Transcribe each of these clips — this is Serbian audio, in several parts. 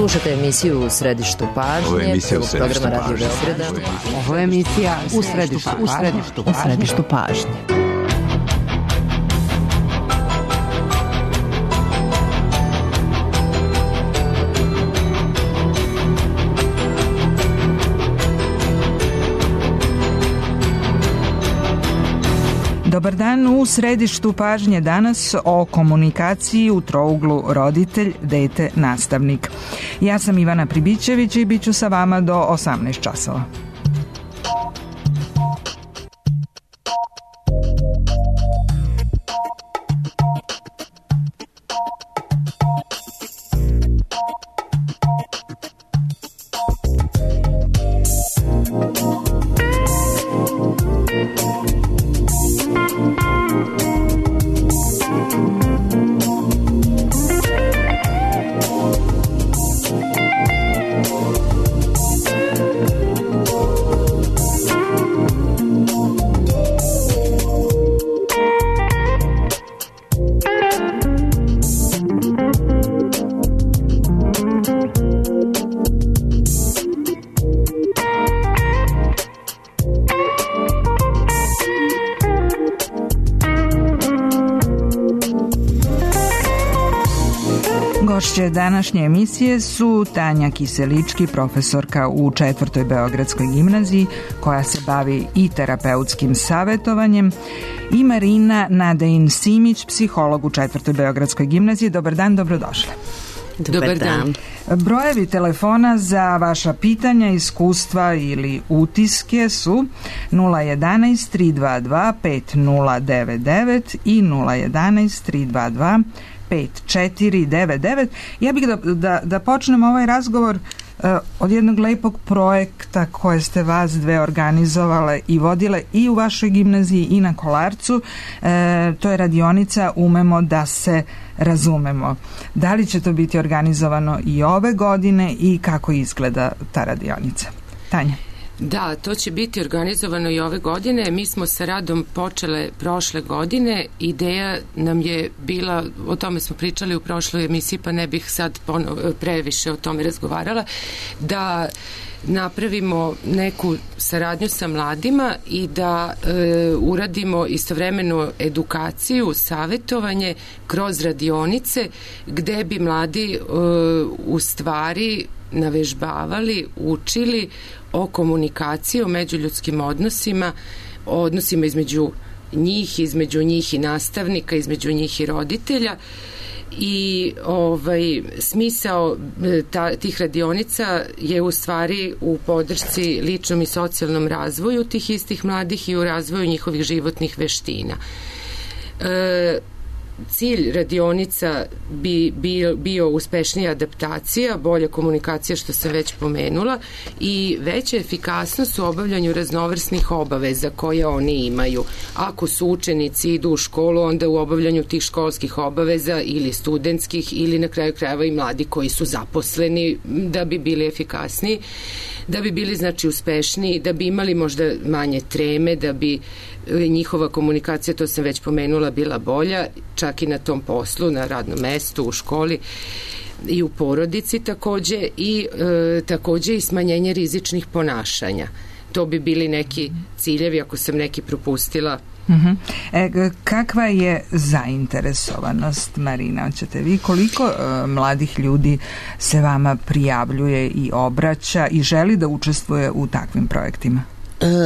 Slušate emisiju U središtu pažnje, programa Radio Beograda. Ovo je emisija U središtu pažnje. Dobar dan, u središtu pažnje danas o komunikaciji u trouglu roditelj, dete, nastavnik. Ja sam Ivana Pribićević i bit ću sa vama do 18 časova. Gošće današnje emisije su Tanja Kiselički, profesorka u 4. Beogradskoj gimnaziji, koja se bavi i terapeutskim savjetovanjem, i Marina Nadejin-Simić, psiholog u 4. Beogradskoj gimnaziji. Dobar dan, dobrodošle. Dobar dan. Brojevi telefona za vaša pitanja, iskustva ili utiske su 011 322 5099 i 011 322 5499. Ja bih da počnem ovaj razgovor od jednog lepog projekta koje ste vas dve organizovale i vodile i u vašoj gimnaziji i na Kolarcu. To je radionica Umemo da se razumemo. Da li će to biti organizovano i ove godine i kako izgleda ta radionica? Tanja. Da, to će biti organizovano i ove godine. Mi smo sa radom počele prošle godine. Ideja nam je bila, o tome smo pričali u prošloj emisiji, pa ne bih sad previše o tome razgovarala, da napravimo neku saradnju sa mladima i da uradimo istovremeno edukaciju, savjetovanje kroz radionice gde bi mladi u stvari navežbavali, učili o komunikaciji, o međuljudskim odnosima, o odnosima između njih i nastavnika, između njih i roditelja. I smisao tih radionica je u stvari u podršci ličnom i socijalnom razvoju tih istih mladih i u razvoju njihovih životnih veština. Cilj radionica bi bio uspešnija adaptacija, bolja komunikacija, što sam već pomenula, i veća efikasnost u obavljanju raznovrsnih obaveza koje oni imaju. Ako su učenici, idu u školu, onda u obavljanju tih školskih obaveza ili studentskih ili na kraju krajeva i mladi koji su zaposleni, da bi bili efikasniji, da bi bili znači uspešniji, da bi imali možda manje treme, da bi njihova komunikacija, to sam već pomenula, bila bolja, čak i na tom poslu, na radnom mestu, u školi i u porodici takođe, i takođe i smanjenje rizičnih ponašanja. To bi bili neki ciljevi, ako sam neki propustila. Kakva je zainteresovanost, Marina? Hoćete vi, koliko mladih ljudi se vama prijavljuje i obraća i želi da učestvuje u takvim projektima?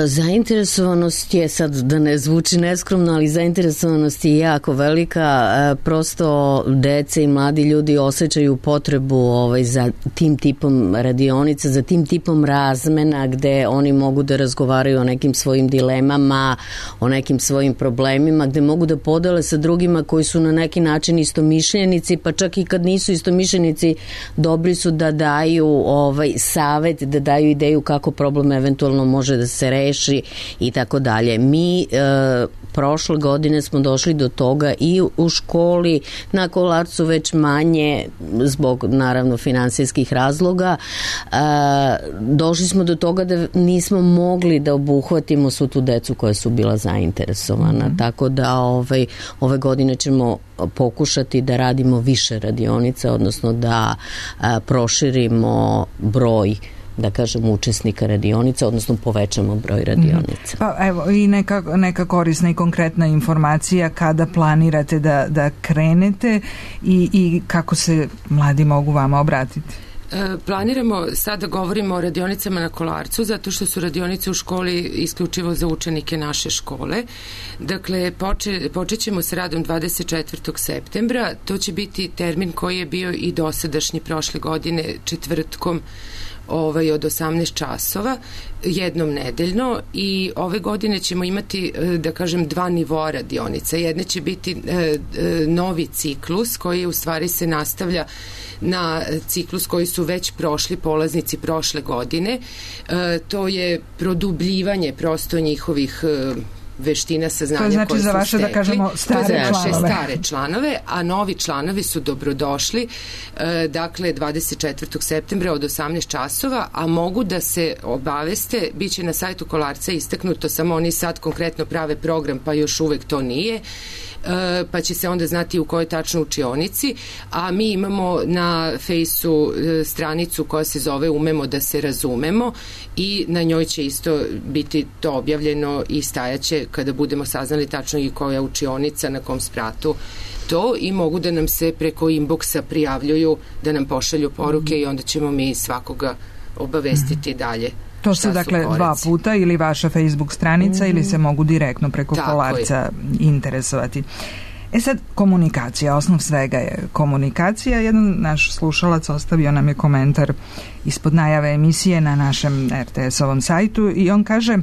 Zainteresovanost je, sad da ne zvuči neskromno, ali zainteresovanost je jako velika. Prosto dece i mladi ljudi osjećaju potrebu za tim tipom radionica, za tim tipom razmena gde oni mogu da razgovaraju o nekim svojim dilemama, o nekim svojim problemima, gde mogu da podele sa drugima koji su na neki način istomišljenici, pa čak i kad nisu istomišljenici, dobri su da daju savet, da daju ideju kako problem eventualno može da se reši i tako dalje. Mi prošle godine smo došli do toga i u školi, na Kolarcu već manje zbog naravno finansijskih razloga. Došli smo do toga da nismo mogli da obuhvatimo svu tu decu koja su bila zainteresovana. Tako da ove godine ćemo pokušati da radimo više radionica, odnosno da proširimo broj, da kažem, učesnika radionica, odnosno povećamo broj radionica. Pa evo i neka korisna i konkretna informacija kada planirate da krenete i kako se mladi mogu vama obratiti. Planiramo, sada govorimo o radionicama na Kolarcu, zato što su radionice u školi isključivo za učenike naše škole. Dakle, počet ćemo s radom 24. septembra. To će biti termin koji je bio i dosadašnji prošle godine četvrtkom od 18 časova, jednom nedeljno, i ove godine ćemo imati, da kažem, dva nivoa radionica. Jedna će biti novi ciklus koji u stvari se nastavlja na ciklus koji su već prošli polaznici prošle godine. To je produbljivanje prosto njihovih veština, saznanja koje su stekli. To znači za vaše, da kažemo, stare članove, a novi članovi su dobrodošli, dakle, 24. septembra od 18 časova, a mogu da se obaveste, bit će na sajtu Kolarca istaknuto, samo oni sad konkretno prave program, pa još uvek to nije, pa će se onda znati u kojoj tačno učionici, a mi imamo na Fejsu stranicu koja se zove Umemo da se razumemo i na njoj će isto biti to objavljeno i stajaće kada budemo saznali tačno i koja učionica, na kom spratu to, i mogu da nam se preko inboxa prijavljuju, da nam pošalju poruke i onda ćemo mi svakoga obavestiti dalje. To su dakle dva puta, ili vaša Facebook stranica ili se mogu direktno preko Kolarca interesovati. Sad, komunikacija, osnov svega je komunikacija. Jedan naš slušalac ostavio nam je komentar ispod najave emisije na našem RTS-ovom sajtu i on kaže: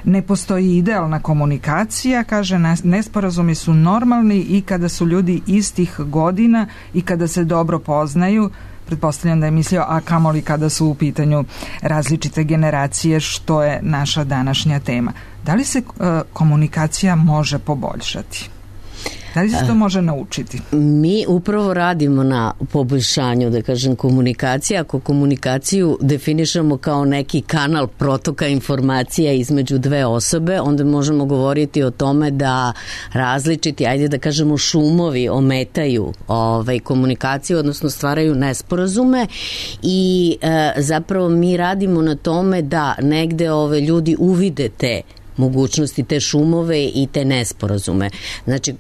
ne postoji idealna komunikacija, kaže, nesporazumi su normalni i kada su ljudi istih godina i kada se dobro poznaju. Pretpostavljam da je mislio, a kamoli kada su u pitanju različite generacije, što je naša današnja tema. Da li se komunikacija može poboljšati? Da li se to može naučiti? Mi upravo radimo na poboljšanju, da kažem, komunikacije. Ako komunikaciju definišemo kao neki kanal protoka informacija između dve osobe, onda možemo govoriti o tome da različiti, ajde da kažemo, šumovi ometaju komunikaciju, odnosno stvaraju nesporazume, i zapravo mi radimo na tome da negde ljudi uvide te mogućnosti, te šumove i te nesporazume. Znači,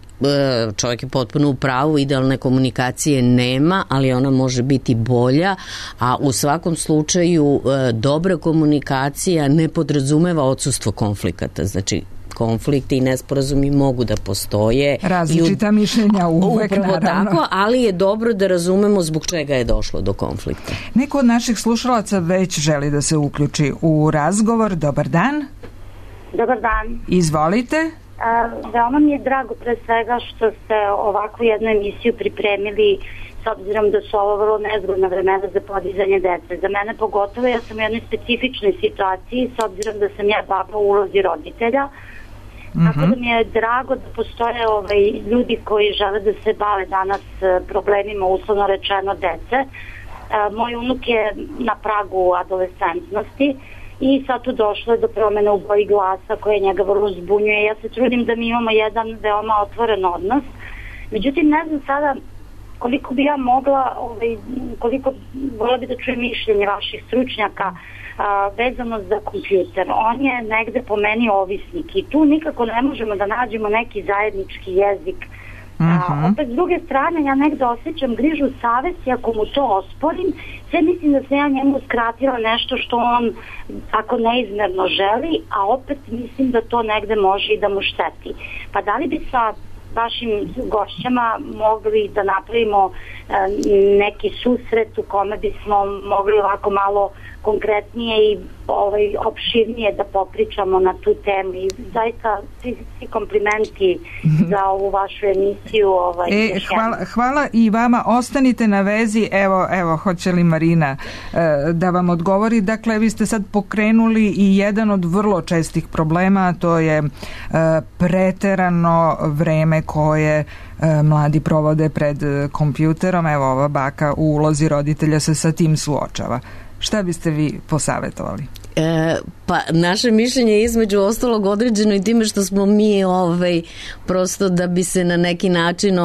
čovjek je potpuno u pravu, idealne komunikacije nema, ali ona može biti bolja, a u svakom slučaju dobra komunikacija ne podrazumeva odsustvo konflikata. Znači, konflikti i nesporazumi mogu da postoje. Različita mišljenja uvek, naravno. Tako, ali je dobro da razumemo zbog čega je došlo do konflikta. Neko od naših slušalaca već želi da se uključi u razgovor. Dobar dan. Dobar dan. Izvolite. Veoma mi je drago pre svega što ste ovakvu jednu emisiju pripremili, s obzirom da su ovo vrlo nezgodna vremena za podizanje dece. Za mene pogotovo, ja sam u jednoj specifičnoj situaciji, s obzirom da sam ja baba u ulozi roditelja. Tako da mi je drago da postoje ljudi koji žele da se bave danas problemima, uslovno rečeno, dece. Moj unuk je na pragu adolescentnosti i sad tu došlo je do promene u boji glasa koje njega vrlo zbunjuje. Ja se trudim da mi imamo jedan veoma otvoren odnos. Međutim, ne znam sada koliko bi ja mogla, koliko vola bi da čujem mišljenje vaših stručnjaka vezano za kompjuter. On je negde po meni ovisnik i tu nikako ne možemo da nađemo neki zajednički jezik. Opet s druge strane ja negde osjećam grižu savesti ako mu to osporim, sve mislim da sam ja njemu skratila nešto što on tako neizmerno želi, a opet mislim da to negde može i da mu šteti. Pa da li bi sa vašim gošćama mogli da napravimo neki susret u kome bismo mogli ovako malo konkretnije i opširnije da popričamo na tu temu i zaista svi komplimenti za ovu vašu emisiju. Hvala i vama, ostanite na vezi. Evo, hoće li Marina da vam odgovori? Dakle, vi ste sad pokrenuli i jedan od vrlo čestih problema, to je preterano vreme koje mladi provode pred kompjuterom. Evo, ova baka u ulozi roditelja se sa tim suočava. Šta biste vi posavetovali? Pa naše mišljenje je između ostalog određeno i time što smo mi prosto da bi se na neki način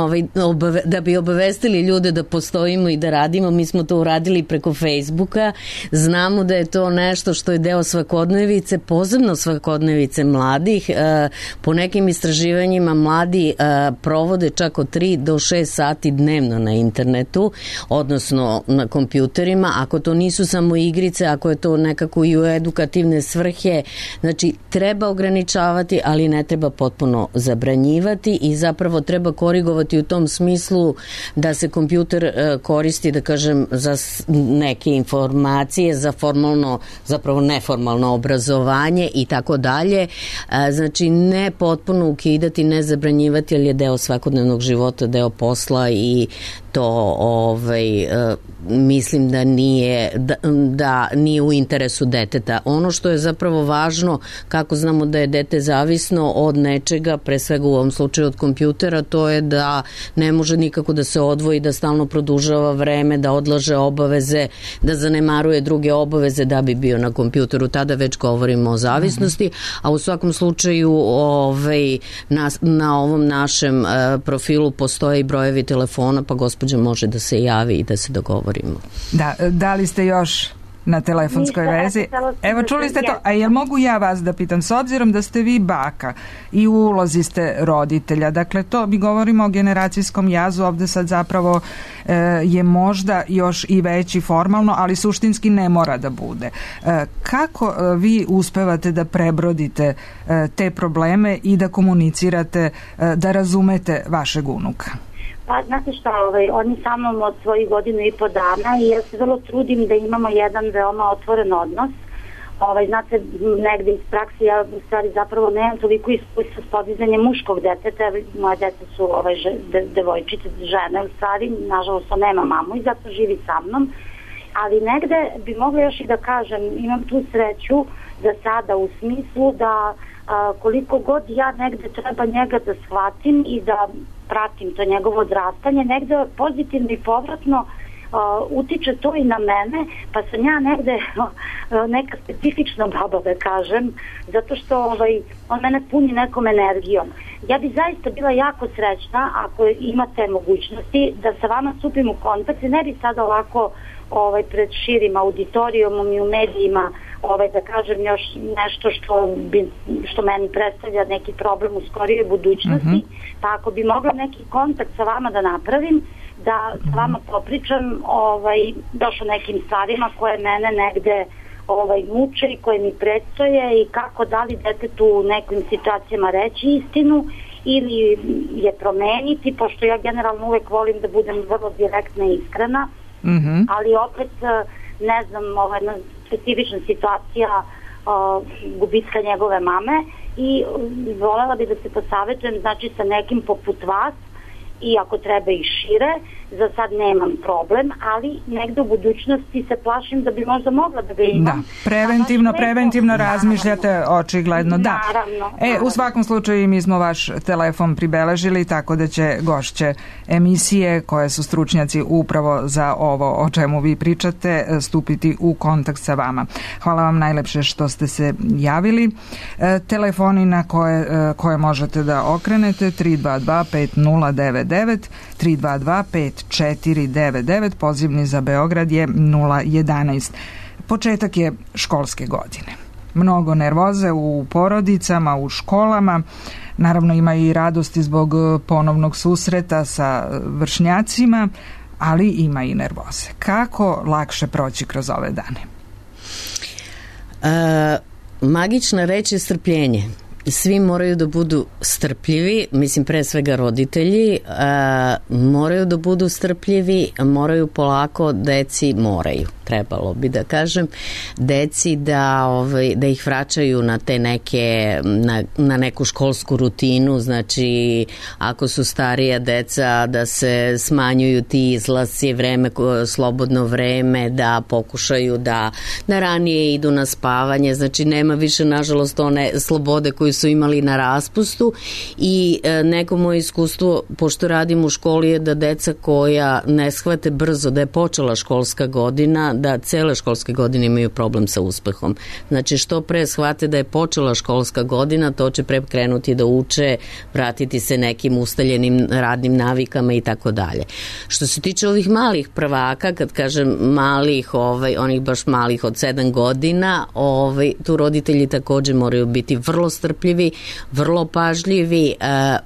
da bi obavestili ljude da postojimo i da radimo, mi smo to uradili preko Facebooka. Znamo da je to nešto što je deo svakodnevice, posebno svakodnevice mladih. Po nekim istraživanjima mladi provode čak od 3 do 6 sati dnevno na internetu, odnosno na kompjuterima. Ako to nisu samo igrice, ako je to nekako i u edukativne svrhe, znači treba ograničavati, ali ne treba potpuno zabranjivati i zapravo treba korigovati u tom smislu da se kompjuter koristi, da kažem, za neke informacije, za formalno, zapravo neformalno obrazovanje i tako dalje. Znači ne potpuno ukidati, ne zabranjivati, ali je deo svakodnevnog života, deo posla i to mislim da nije u interesu deteta. Ono što je zapravo važno, kako znamo da je dete zavisno od nečega, pre svega u ovom slučaju od kompjutera, to je da ne može nikako da se odvoji, da stalno produžava vreme, da odlaže obaveze, da zanemaruje druge obaveze da bi bio na kompjuteru. Tada već govorimo o zavisnosti, a u svakom slučaju na ovom našem profilu postoje i brojevi telefona, pa gospođa može da se javi i da se dogovorimo. Da li ste još na telefonskoj vezi? Evo, čuli ste to. A jel mogu ja vas da pitam, s obzirom da ste vi baka i u ulozi ste roditelja, dakle to mi govorimo o generacijskom jazu, ovde sad zapravo je možda još i veći formalno, ali suštinski ne mora da bude. Kako vi uspevate da prebrodite te probleme i da komunicirate, da razumete vašeg unuka? Pa, znate šta, oni sa mnom od svojih 1.5 godina i ja se vrlo trudim da imamo jedan veoma otvoren odnos. Znate, negde iz prakse ja u stvari zapravo nemam toliko iskustva s podizanjem muškog deteta, moje dete su devojčice, žene u stvari, nažalost on nema mamu i zato živi sa mnom, ali negde bi mogla još i da kažem, imam tu sreću za sada u smislu da koliko god ja negde treba njega da shvatim i da pratim to njegovo odrastanje, negde pozitivno i povratno utiče to i na mene, pa sam ja negde neka specifična baba, da kažem, zato što on mene puni nekom energijom. Ja bi zaista bila jako srećna ako imate mogućnosti da sa vama stupim u kontakt i ne bi sada ovako pred širim auditorijumom i u medijima da kažem još nešto što meni predstavlja neki problem u skorijoj budućnosti, pa ako bi mogla neki kontakt sa vama da napravim, da s vama popričam baš o nekim stvarima koje mene negde muče i koje mi predstoje i kako da li detetu u nekim situacijama reći istinu ili je promeniti, pošto ja generalno uvek volim da budem vrlo direktna i iskrena, ali opet ne znam, jedna specifična situacija gubitka njegove mame i volela bi da se posavetujem, znači sa nekim poput vas i ako treba i šire, za sad nemam problem, ali negde u budućnosti se plašim da bi možda mogla da ga imam. Da, preventivno razmišljate očigledno, da. Naravno. U svakom slučaju mi smo vaš telefon pribeležili, tako da će gošće emisije koje su stručnjaci upravo za ovo o čemu vi pričate stupiti u kontakt sa vama. Hvala vam najlepše što ste se javili. Telefoni na koje možete da okrenete 322-5099, 322-5499, pozivni za Beograd je 011. Početak je školske godine. Mnogo nervoze u porodicama, u školama, naravno ima i radosti zbog ponovnog susreta sa vršnjacima, ali ima i nervoze. Kako lakše proći kroz ove dane? Magična reč je strpljenje. svi moraju da budu strpljivi, mislim pre svega roditelji, moraju da budu strpljivi, moraju polako, trebalo bi da kažem, deci da ih vraćaju na te neke, na neku školsku rutinu, znači ako su starija deca da se smanjuju ti izlasci, slobodno vreme, da pokušaju da ranije idu na spavanje, znači nema više nažalost one slobode koju su imali na raspustu i neko moje iskustvo, pošto radim u školi, je da deca koja ne shvate brzo da je počela školska godina, da cele školske godine imaju problem sa uspehom. Znači što pre shvate da je počela školska godina, to će pre krenuti da uče, vratiti se nekim ustaljenim radnim navikama i tako dalje. Što se tiče ovih malih prvaka, kad kažem malih, onih baš malih od 7 godina, tu roditelji takođe moraju biti vrlo strpljivi, vrlo pažljivi,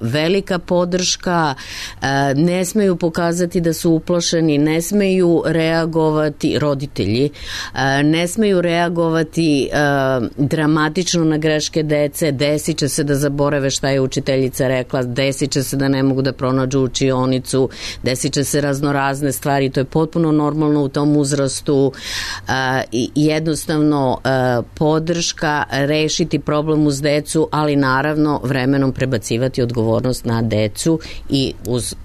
velika podrška, ne smeju pokazati da su uplašeni, ne smeju reagovati roditelji, ne smeju reagovati dramatično na greške dece, desit će se da zaborave šta je učiteljica rekla, desit će se da ne mogu da pronađu učionicu, desit će se raznorazne stvari, to je potpuno normalno u tom uzrastu, jednostavno podrška, rešiti problem uz decu, ali naravno vremenom prebacivati odgovornost na decu i uz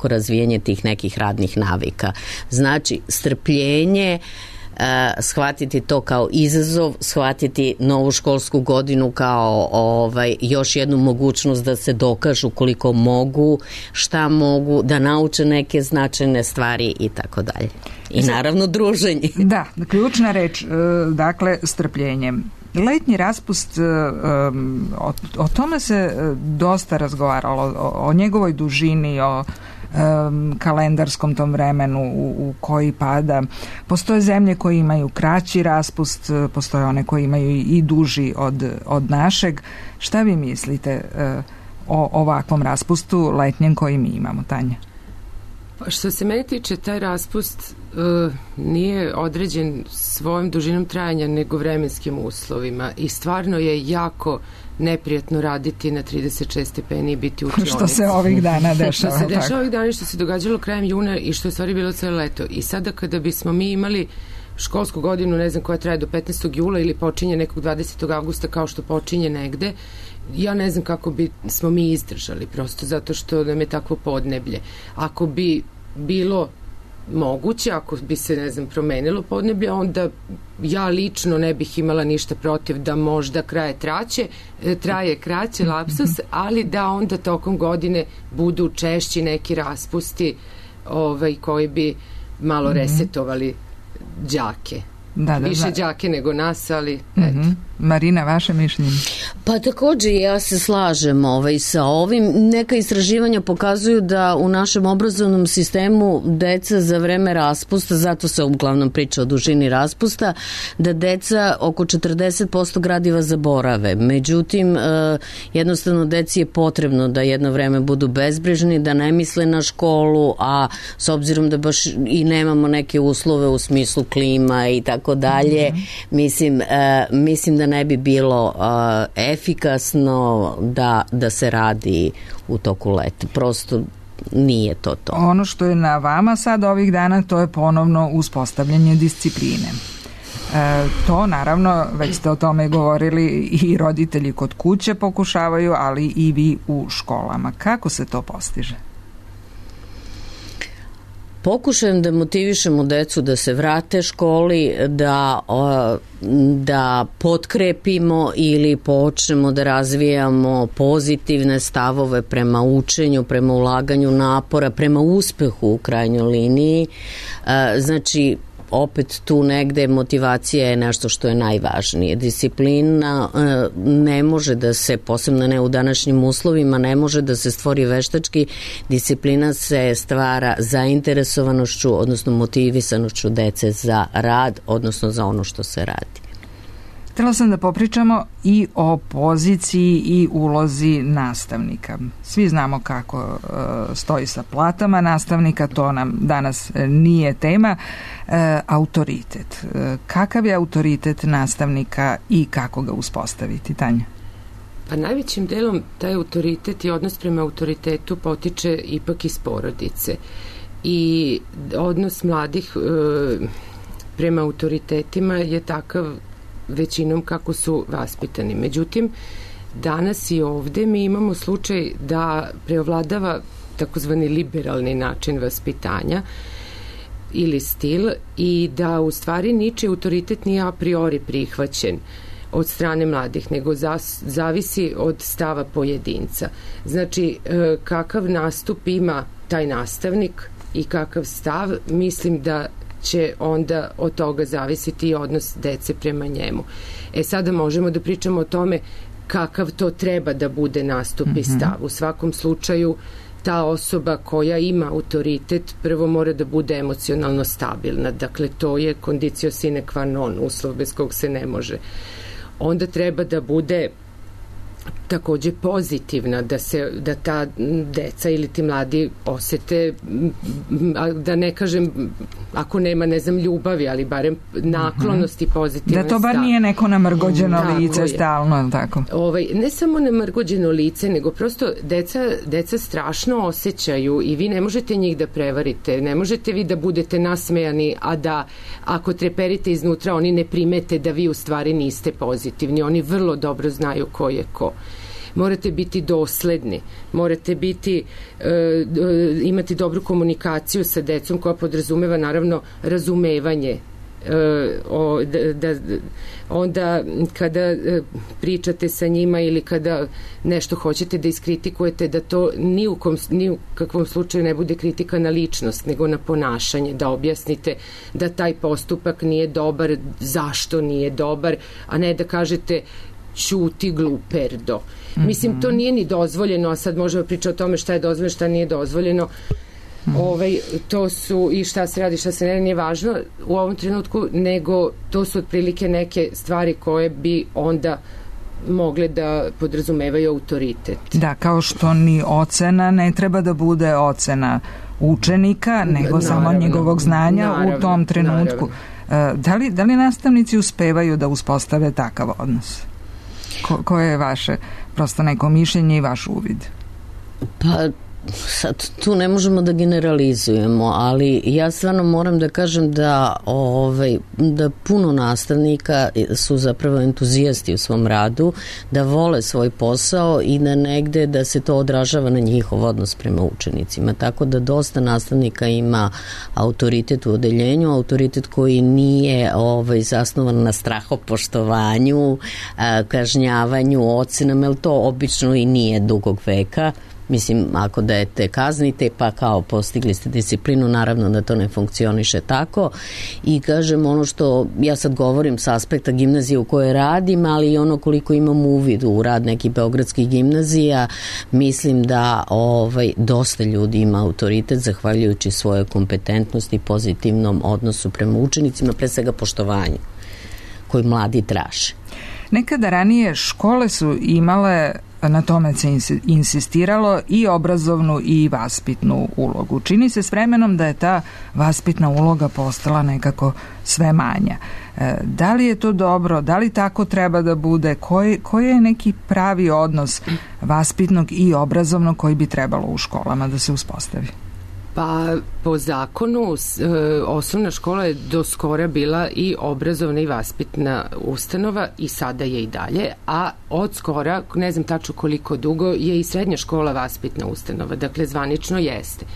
razvijanje tih nekih radnih navika. Znači, strpljenje, shvatiti to kao izazov, shvatiti novu školsku godinu kao još jednu mogućnost da se dokažu koliko mogu, šta mogu, da nauče neke značajne stvari i tako dalje. I naravno druženje. Da, ključna reč, dakle, strpljenje. Letnji raspust, o tome se dosta razgovaralo, o njegovoj dužini, o kalendarskom tom vremenu u koji pada. Postoje zemlje koje imaju kraći raspust, postoje one koje imaju i duži od našeg. Šta vi mislite o ovakvom raspustu letnjem koji mi imamo, Tanja? Što se meni tiče, taj raspust nije određen svojom dužinom trajanja nego vremenskim uslovima i stvarno je jako neprijatno raditi na 36 stepeni i biti u učionici. Što se ovih dana dešava. Što se dešava ovih dana i što se događalo krajem juna i što je stvari bilo celo leto. I sada kada bismo mi imali školsku godinu, ne znam koja traje do 15. jula ili počinje nekog 20. avgusta kao što počinje negde, ja ne znam kako bi smo mi izdržali, prosto zato što nam je takvo podneblje. Ako bi bilo moguće, ako bi se, ne znam, promenilo podneblje, onda ja lično ne bih imala ništa protiv da možda traje kraće lapsus, ali da onda tokom godine budu češći neki raspusti koji bi malo resetovali đake. Više đake nego nas, ali eto. Marina, vaše mišljenje? Pa takođe ja se slažem sa ovim. Neka istraživanja pokazuju da u našem obrazovnom sistemu deca za vreme raspusta, zato se uglavnom priča o dužini raspusta, da deca oko 40% gradiva zaborave. Međutim, jednostavno deci je potrebno da jedno vreme budu bezbrižni, da ne misle na školu, a s obzirom da baš i nemamo neke uslove u smislu klima i tako dalje, mislim da ne bi bilo efikasno da se radi u toku leta. Prosto nije to. Ono što je na vama sad ovih dana, to je ponovno uspostavljanje discipline. To naravno, već ste o tome govorili, i roditelji kod kuće pokušavaju, ali i vi u školama. Kako se to postiže? Pokušajem da motivišemo decu da se vrate školi, da potkrepimo ili počnemo da razvijamo pozitivne stavove prema učenju, prema ulaganju napora, prema uspehu u krajnjoj liniji. Znači, opet tu negde motivacija je nešto što je najvažnije. Disciplina ne može da se, posebno ne u današnjim uslovima, ne može da se stvori veštački. Disciplina se stvara zainteresovanošću, odnosno motivisanošću dece za rad, odnosno za ono što se radi. Htjela sam da popričamo i o poziciji i ulozi nastavnika. Svi znamo kako stoji sa platama nastavnika, to nam danas nije tema. Autoritet. Kakav je autoritet nastavnika i kako ga uspostaviti, Tanja? Pa najvećim delom taj autoritet i odnos prema autoritetu potiče ipak iz porodice i odnos mladih prema autoritetima je takav većinom kako su vaspitani. Međutim, danas i ovde mi imamo slučaj da preovladava takozvani liberalni način vaspitanja ili stil i da u stvari ničiji autoritet nije a priori prihvaćen od strane mladih, nego zavisi od stava pojedinca. Znači, kakav nastup ima taj nastavnik i kakav stav, mislim da će onda od toga zavisiti i odnos dece prema njemu. Sada možemo da pričamo o tome kakav to treba da bude nastup i stav. U svakom slučaju, ta osoba koja ima autoritet prvo mora da bude emocionalno stabilna. Dakle, to je condicio sine qua non, uslov bez kog se ne može. Onda treba da bude takođe pozitivna, da ta deca ili ti mladi osete, da ne kažem, ako nema, ne znam, ljubavi, ali barem naklonosti pozitivan da to bar nije neko namrgođeno lice stalno, tako? Ne samo namrgođeno lice, nego prosto deca strašno osjećaju i vi ne možete njih da prevarite, ne možete vi da budete nasmejani, a da ako treperite iznutra oni ne primete da vi u stvari niste pozitivni, oni vrlo dobro znaju ko je ko. Morate biti dosledni, morate biti, imati dobru komunikaciju sa decom koja podrazumeva naravno razumevanje. Onda kada pričate sa njima ili kada nešto hoćete da iskritikujete, da to ni u kakvom slučaju ne bude kritika na ličnost, nego na ponašanje, da objasnite da taj postupak nije dobar, zašto nije dobar, a ne da kažete ćuti gluperdo. Mislim, to nije ni dozvoljeno, a sad možemo pričati o tome šta je dozvoljeno, šta nije dozvoljeno. To su i šta se radi, šta se ne radi, nije važno u ovom trenutku, nego to su otprilike neke stvari koje bi onda mogle da podrazumevaju autoritet. Da, kao što ni ocena ne treba da bude ocena učenika, nego samo njegovog znanja u tom trenutku. Da li nastavnici uspevaju da uspostave takav odnos? Koje je vaše prosto neko mišljenje i vaš uvid? Pa sad tu ne možemo da generalizujemo, ali ja stvarno moram da kažem da puno nastavnika su zapravo entuzijasti u svom radu, da vole svoj posao i da negde da se to odražava na njihov odnos prema učenicima. Tako da dosta nastavnika ima autoritet u odeljenju, autoritet koji nije zasnovan na strahopoštovanju, kažnjavanju, ocenama, jer to obično i nije dugog veka. Mislim, ako dete kaznite, pa kao postigli ste disciplinu, naravno da to ne funkcioniše tako. I kažem, ono što ja sad govorim sa aspekta gimnazije u kojoj radim, ali i ono koliko imam uvid u rad nekih beogradskih gimnazija, mislim da dosta ljudi ima autoritet zahvaljujući svojoj kompetentnosti i pozitivnom odnosu prema učenicima, pre svega poštovanju koji mladi traže. Nekada ranije škole su imale, na tome se insistiralo, i obrazovnu i vaspitnu ulogu. Čini se s vremenom da je ta vaspitna uloga postala nekako sve manja. Da li je to dobro? Da li tako treba da bude? Koji je neki pravi odnos vaspitnog i obrazovnog koji bi trebalo u školama da se uspostavi? Pa po zakonu osnovna škola je do skora bila i obrazovna i vaspitna ustanova i sada je i dalje, a od skora, ne znam tačno koliko dugo, je i srednja škola vaspitna ustanova, dakle zvanično jeste.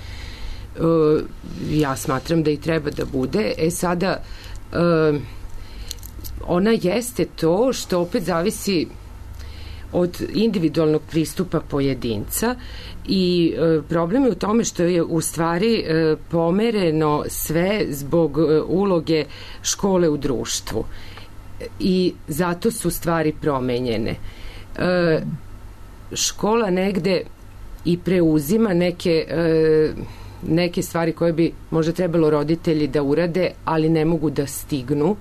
Ja smatram da i treba da bude. Sada ona jeste to što opet zavisi od individualnog pristupa pojedinca i problem je u tome što je u stvari pomereno sve zbog uloge škole u društvu i zato su stvari promenjene. Škola negde i preuzima neke stvari koje bi možda trebalo roditelji da urade, ali ne mogu da stignu,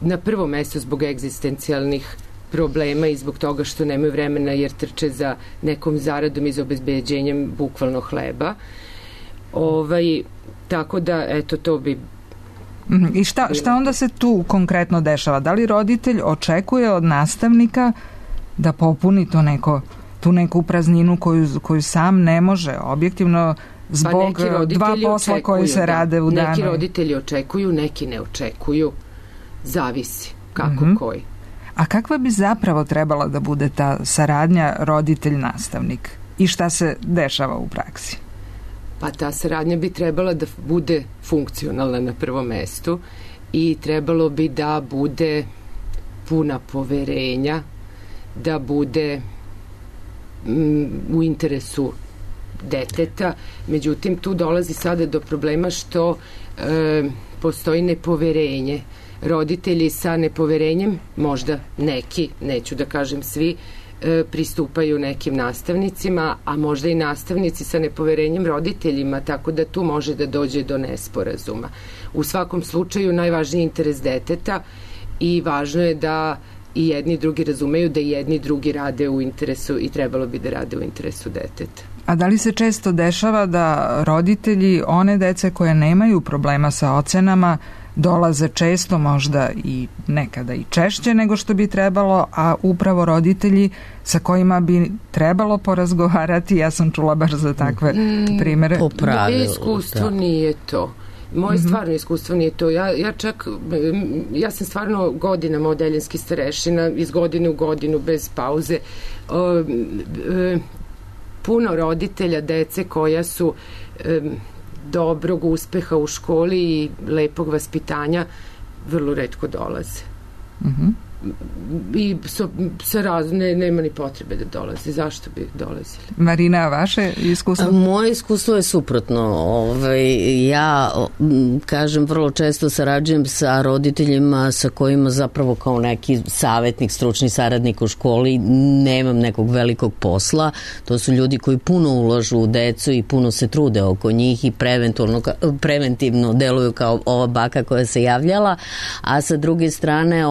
na prvo mesto zbog egzistencijalnih problema i zbog toga što nemaju vremena jer trče za nekom zaradom i za obezbeđenjem bukvalno hleba. Tako da, eto, to bi... I šta onda se tu konkretno dešava? Da li roditelj očekuje od nastavnika da popuni tu neku prazninu koju sam ne može objektivno zbog dva posla koji se rade u danu. Neki roditelji očekuju, neki ne očekuju, zavisi kako koji. A kakva bi zapravo trebala da bude ta saradnja roditelj-nastavnik i šta se dešava u praksi? Pa ta saradnja bi trebala da bude funkcionalna na prvom mestu i trebalo bi da bude puna poverenja, da bude u interesu deteta. Međutim, tu dolazi sada do problema što postoji nepoverenje. Roditelji sa nepoverenjem, možda neki, neću da kažem svi, pristupaju nekim nastavnicima, a možda i nastavnici sa nepoverenjem roditeljima, tako da tu može da dođe do nesporazuma. U svakom slučaju najvažniji je interes deteta i važno je da i jedni i drugi razumeju da i jedni i drugi rade u interesu i trebalo bi da rade u interesu deteta. A da li se često dešava da roditelji one dece koje nemaju problema sa ocenama dolaze često, možda i nekada i češće nego što bi trebalo, a upravo roditelji sa kojima bi trebalo porazgovarati, ja sam čula baš za takve primere. Moje iskustvo nije to. Moje stvarno iskustvo nije to. Ja sam stvarno godinama odeljenski starešina, iz godine u godinu, bez pauze. Puno roditelja dece koja su dobrog uspeha u školi i lepog vaspitanja vrlo retko dolaze. I nema ni potrebe da dolaze. Zašto bi dolazili? Marina, vaše iskustvo? Moje iskustvo je suprotno. Ja, kažem, vrlo često sarađujem sa roditeljima sa kojima zapravo kao neki savjetnik, stručni saradnik u školi nemam nekog velikog posla. To su ljudi koji puno ulažu u decu i puno se trude oko njih i preventivno deluju kao ova baka koja se javljala, a sa druge strane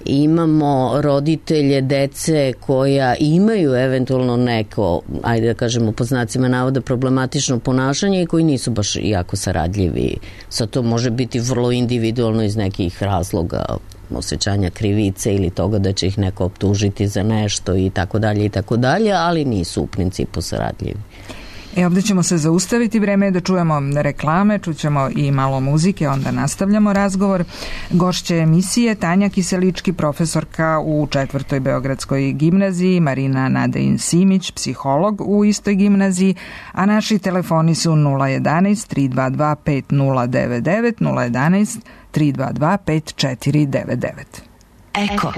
imamo roditelje dece koja imaju eventualno neko, ajde da kažemo po znacima navoda, problematično ponašanje i koji nisu baš jako saradljivi. Sad to može biti vrlo individualno iz nekih razloga, osjećanja krivice ili toga da će ih neko optužiti za nešto i tako dalje, ali nisu u principu saradljivi. Ovdje ćemo se zaustaviti, vreme je da čujemo reklame, čućemo i malo muzike, onda nastavljamo razgovor. Gošće emisije Tanja Kiselički, profesorka u 4. Beogradskoj gimnaziji, Marina Nadejin-Simić, psiholog u istoj gimnaziji, a naši telefoni su 011 322 5099, 011 322 5499. Eko.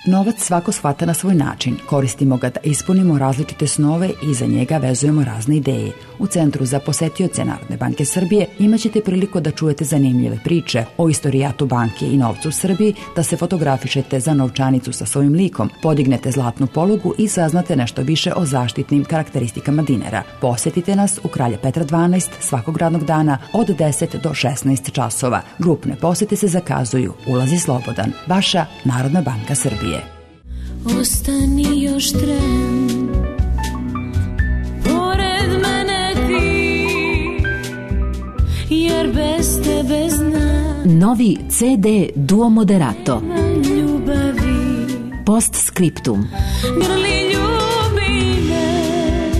Novac svako shvata na svoj način. Koristimo ga da ispunimo različite snove i za njega vezujemo razne ideje. U Centru za posetioce Narodne banke Srbije imaćete priliku da čujete zanimljive priče o istorijatu banke i novcu u Srbiji, da se fotografišete za novčanicu sa svojim likom, podignete zlatnu polugu i saznate nešto više o zaštitnim karakteristikama dinara. Posetite nas u Kralja Petra 12 svakog radnog dana od 10 do 16 časova. Grupne posete se zakazuju. Ulaz je slobodan. Vaša Narodna banka Srbije. Ostani još tren, pored mene ti, jer bez tebe znam. Novi CD Duo Moderato. Ljubavi. Postscriptum. Grli ljubi me,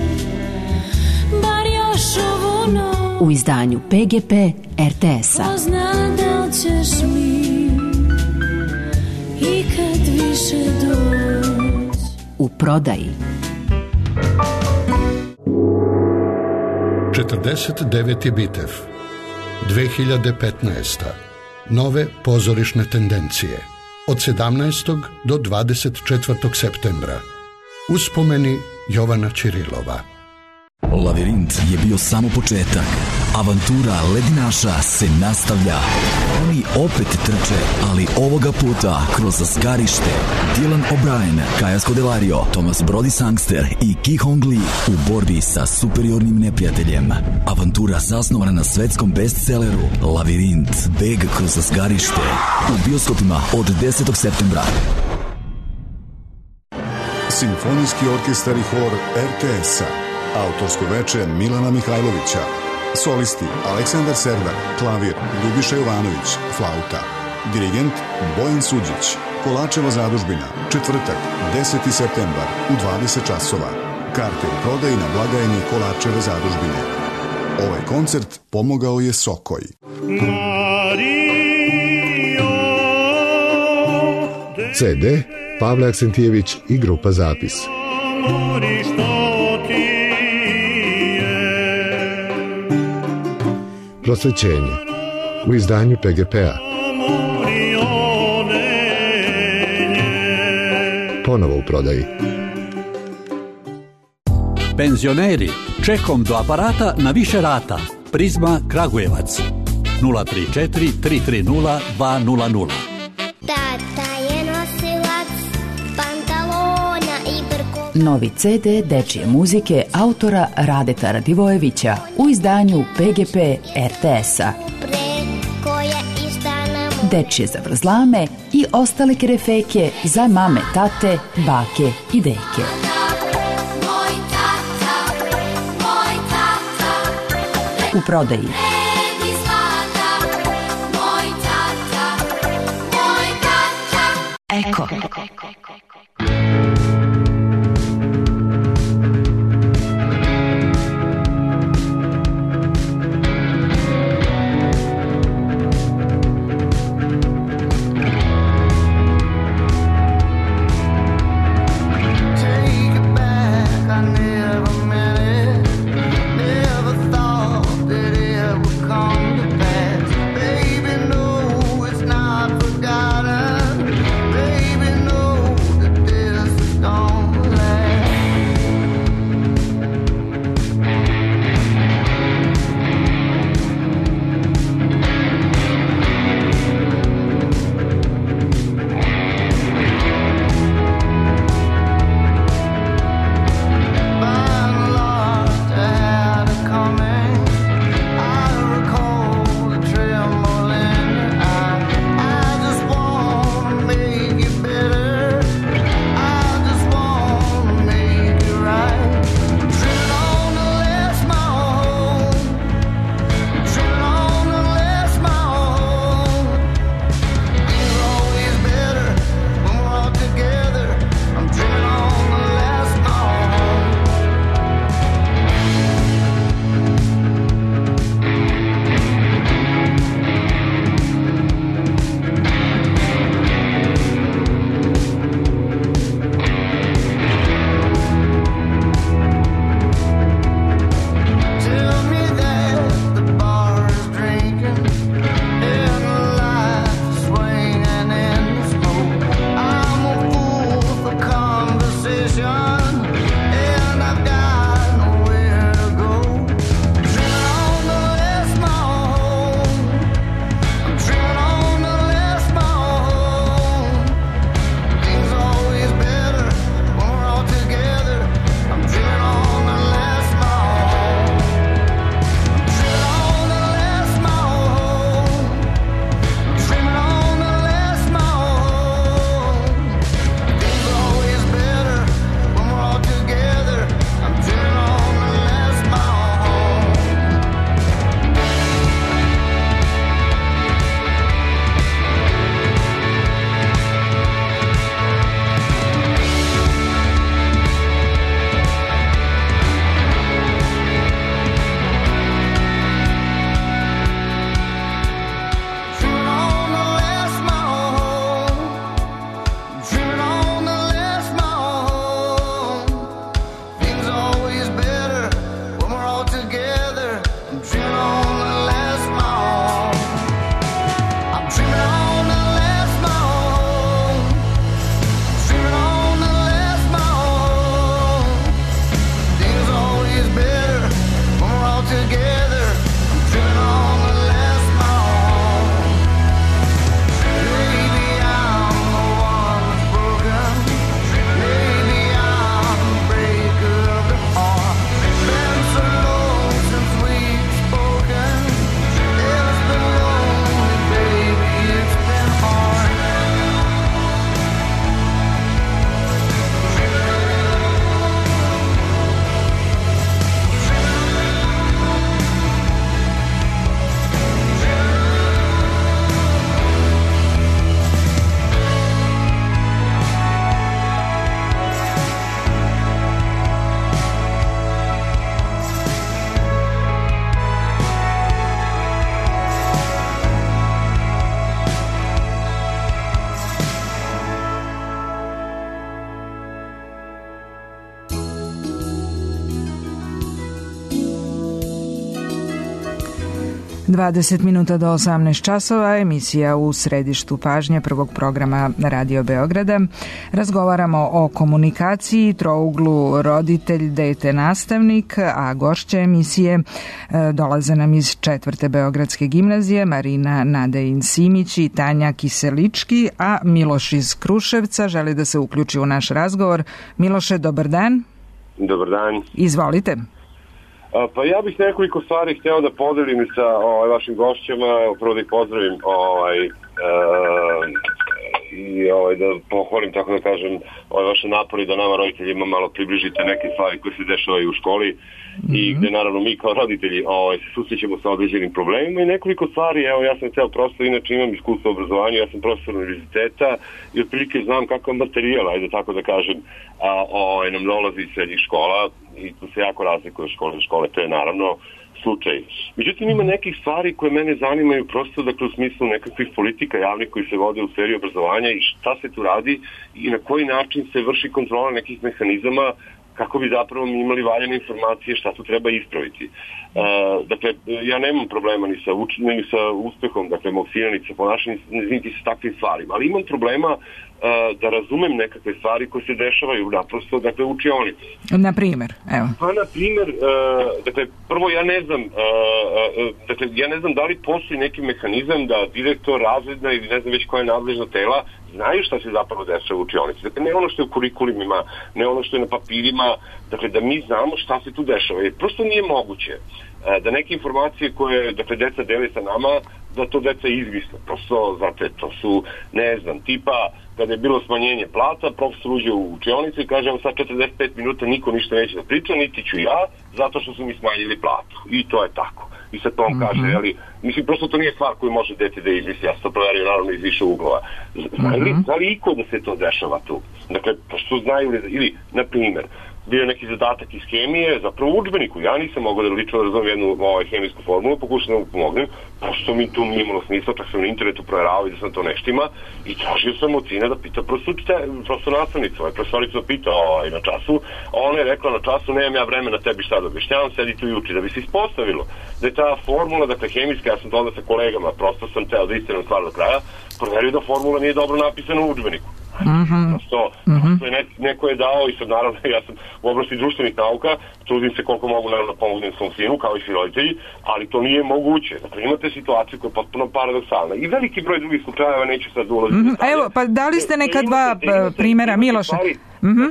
bar još ovu noć. U izdanju PGP RTS-a. Pozna da li ćeš mi i kad više doći. U prodaji. 49. Bitev 2015. Nove pozorišne tendencije od 17. do 24. septembra. Uspomeni Jovana Ćirilova. Lavirint je bio samo početak. Avantura ledinaša se nastavlja. Oni opet trče, ali ovoga puta kroz zgarište. Dylan O'Brien, Kaja Scodelario, Thomas Brody Sangster i Ki Hong Lee u borbi sa superiornim neprijateljem. Avantura zasnovana na svetskom bestselleru Lavirint, beg kroz zgarište. U bioskopima od 10. septembra. Simfonijski orkestar i hor RTS-a. Autorsko veče Milana Mihajlovića. Solisti Aleksandar Serdar, klavir, Ljubiša Jovanović, flauta. Dirigent Bojan Suđić. Kolačeva zadužbina, četvrtak, 10. septembar u 20 časova. Karte u prodaji na blagajni Kolačeve zadužbine. Ovaj koncert pomogao je Sokoj. CD Pavle Aksentijević i grupa Zapis. Prosvećenje u izdanju PGP-a. Ponovo u prodaji. Penzioneri, čekom do aparata na više rata. Prizma Kragujevac 034 330 200. Tata je nosilac pantalona i brko. Novi CD dečije muzike autora Radeta Radivojevića u izdanju PGP RTS-a. Dečije zavrzlame i ostale kerefeke za mame, tate, bake i deke. U prodaji. Eko. Baby 20 minuta do 18 časova, emisija u središtu pažnje prvog programa Radio Beograda. Razgovaramo o komunikaciji, trouglu roditelj, dete, nastavnik, a gošće emisije dolaze nam iz 4. Beogradske gimnazije, Marina Nadejin-Simić i Tanja Kiselički, a Miloš iz Kruševca želi da se uključi u naš razgovor. Miloše, dobar dan. Dobar dan. Izvolite. Pa ja bih nekoliko stvari hteo da podelim sa vašim gošćama, prvo da ih pozdravim i da pohvalim, tako da kažem, vaše napori da nama roditeljima malo približite neke stvari koje se dešavaju u školi i gde naravno mi kao roditelji se susrećemo sa određenim problemima i nekoliko stvari. Evo, ja sam hteo prosto, inače imam iskustvo u obrazovanju, ja sam profesor univerziteta i otprilike znam kakav materijal, ajde tako da kažem, nam dolazi iz srednjih škola i tu se jako razlikuje škole, to je naravno slučaj. Međutim, ima nekih stvari koje mene zanimaju prosto, dakle, u smislu nekakvih politika javnih koji se vode u sferi obrazovanja i šta se tu radi i na koji način se vrši kontrola nekih mehanizama kako bi zapravo mi imali valjane informacije šta tu treba ispraviti. Dakle, ja nemam problema ni sa uspehom, dakle, mog sina, ni sa ponašanjem, niti sa takvim stvarima, ali imam problema da razumem nekakve stvari koje se dešavaju naprosto, dakle, u učionici. Na primjer, evo. Pa, na primjer, dakle, prvo ja ne znam da li postoji neki mehanizam da direktor, razredna ili ne znam već koja je nadležna tela znaju šta se zapravo dešava u učionici. Dakle, ne ono što je u kurikulumima, ne ono što je na papirima, dakle, da mi znamo šta se tu dešava. Jer prosto nije moguće da neke informacije koje, dakle, deca dele sa nama, da to deca izmisle. Prosto, znate, to su, ne znam, tipa, kada je bilo smanjenje plata, profesor uđe u učionicu i kaže, evo sad 45 minuta niko ništa neće da priča, niti ću ja, zato što su mi smanjili platu. I to je tako. I sad to on kaže, ali, mislim, prosto to nije stvar koju može dete da izmisli, ja sam to proverio naravno iz više uglova. Zna li iko da se to dešava tu? Dakle, pošto znaju li, ili, na primjer, bio je neki zadatak iz hemije, zapravo u udžbeniku. Ja nisam mogao da lično razumem jednu hemijsku formulu, pokušam da mu pomognem, pošto mi tu nije imalo smisla, čak sam na internetu proveravao i da sam to neštima i tražio sam od sina da pita prosto nastavnicu. Profesorica pita na času, a ona je rekla na času, nemam ja vremena tebi šta da objašnjavam, sedi tu i uči. Da bi se ispostavilo da je ta formula, dakle hemijska, ja sam to onda sa kolegama, prosto sam teo da istiram stvar do kraja, proverio da formula nije dobro napisana u udžbeniku. Prosto neko je dao i sad naravno ja sam u oblasti društvenih nauka, trudim se koliko mogu naravno pomognem svom sinu kao i svi roditelji, ali to nije moguće. Dakle, imate situaciju koja je potpuno paradoksalna i veliki broj drugih slučajeva, neću sad ulaziti. Evo, pa dali ste neka dva primjera, Miloše.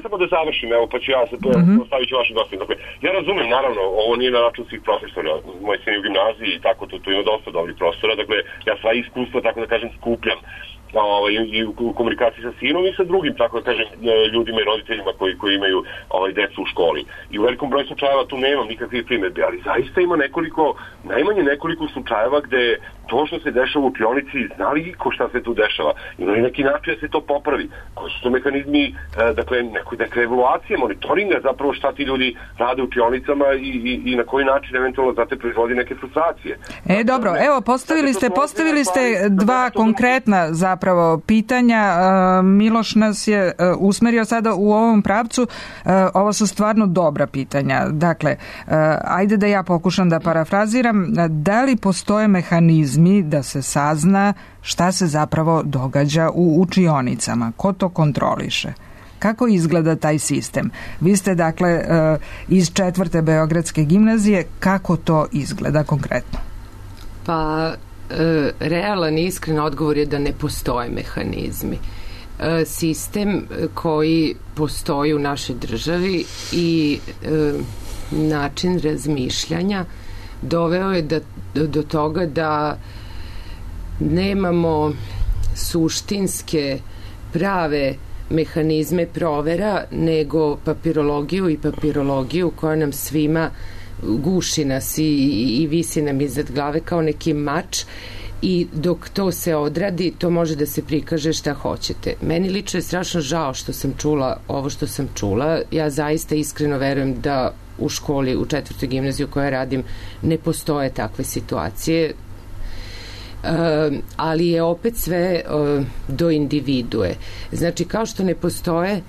Samo da završim, evo, pa ću ja se ostavit ću vaše gostine. Dakle, ja razumem, naravno, ovo nije na račun svih profesora, moj sin je u gimnaziji i tako, tu ima dosta dobrih profesora, dakle, ja sva iskustva, tako da kažem, skupljam i u komunikaciji sa sinom i sa drugim, tako da kažem, ljudima i roditeljima koji imaju decu u školi. I u velikom broju slučajeva tu nemam nikakvih primjedbi, ali zaista ima najmanje nekoliko slučajeva gde to što se dešava u učionici, zna li iko šta se tu dešava? Ima li neki način da se to popravi? Koji su to mehanizmi, dakle, neke evaluacije, monitoringa zapravo šta ti ljudi rade u učionicama i na koji način eventualno znate proizvodi neke frustracije. Dobro, evo, postavili ste dva konkretna zapravo pitanja. Miloš nas je usmerio sada u ovom pravcu. Ovo su stvarno dobra pitanja. Dakle, ajde da ja pokušam da parafraziram. Da li postoje mehanizmi da se sazna šta se zapravo događa u učionicama? Ko to kontroliše? Kako izgleda taj sistem? Vi ste, dakle, iz 4. Beogradske gimnazije. Kako to izgleda konkretno? Pa, realan i iskren odgovor je da ne postoje mehanizmi. Sistem koji postoji u našoj državi i način razmišljanja doveo je do toga da nemamo suštinske prave mehanizme provera, nego papirologiju koja nam svima guši nas i visi nam iznad glave kao neki mač, i dok to se odradi, to može da se prikaže šta hoćete. Meni lično je strašno žao što sam čula ovo što sam čula. Ja zaista iskreno verujem da u školi, u 4. gimnaziju koja radim, ne postoje takve situacije, ali je opet sve do individue. Znači, kao što ne postoje